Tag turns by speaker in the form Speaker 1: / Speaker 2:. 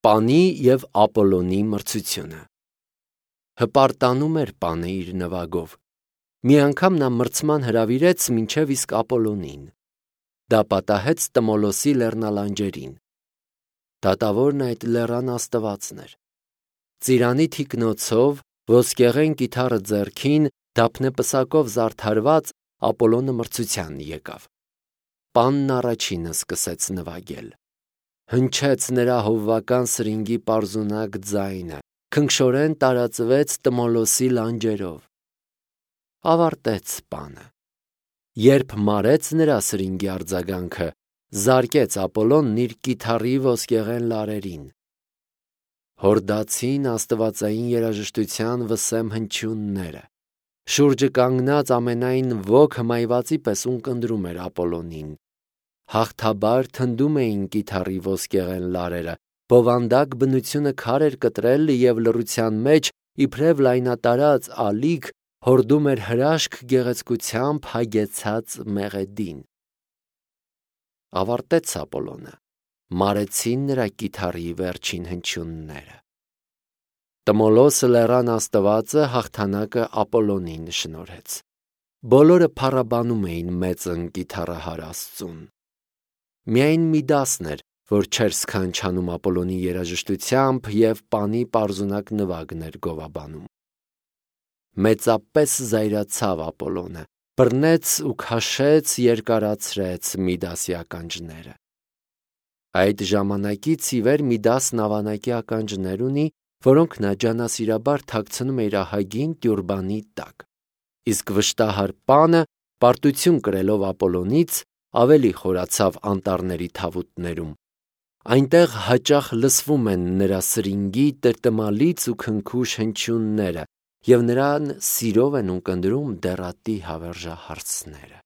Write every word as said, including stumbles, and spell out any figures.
Speaker 1: Պանի և Ապոլոնի մրցությունը։ Հպարտանում էր Պանը իր նվագով։ Մի անգամ նա մրցման հրավիրեց մինչև իսկ Ապոլոնին։ Դա պատահեց Տմոլոսի լեռնալանջերին։ Դատավորն այդ լեռան աստվածն էր։ Ծիրանի թիկնոցով, ոսկեղեն կիթառը ձեռքին, դափնեպսակով զարդարված, Ապոլոնը մրցության եկավ։ Պանն առաջինը սկսեց նվագել։ Հնչեց նրա հովվական սրինգի պարզունակ ձայնը, քնքշորեն տարածվեց Տմոլոսի լանջերով։ Ավարտեց Պանը։ Երբ մարեց նրա սրինգի արձագանքը, զարկեց Ապոլոնն իր կիթառի ոսկեղեն լարերին։ Հորդացին աստվածային երաժշտության վսեմ հնչյունները։ Շուրջը կանգնած ամենայն ոք հմայվածի պես ունկնդրում էր Ապոլոնին։ Հաղթաբար թնդում էին կիթառի ոսկեղեն լարերը, բովանդակ բնությունը քար էր կտրել և լռության մեջ, իբրև լայնատարած ալիք, հորդում էր հրաշք գեղեցկությամբ հագեցած մեղեդին։ Ավարտեց Ապոլոնը։ Մարեցին նրա կիթառի վերջին հնչյունները։ Տմոլոսը լեռան աստվածը հաղթանակը Ապոլոնին շնորհեց։ Բոլորը փառաբանում էին մեծն կիթառահար Աստծուն։ Միայն Միդասն էր, որ չէր սքանչանում Ապոլոնի երաժշտությամբ և Պանի պարզունակ նվագն էր գովաբանում։ Մեծապես զայրացավ Ապոլոնը, բռնեց ու քաշեց, երկարացրեց Միդասի ականջները։ Այդ ժամանակից ի վեր Միդասն ավանակի ականջներ ունի, որոնք նա ջանասիրաբար թաքցնում է իր ահագին տյուրբանի տակ։ Իսկ վշտահար Պանը, պարտություն կրելով Ապոլոնից, ավելի խորացավ անտառների թավուտներում։ Այնտեղ հաճախ լսվում են նրա սրինգի տրտմալից ու քնքուշ հնչյունները, և նրան սիրով են ունկնդրում դեռատի հավերժահարցները։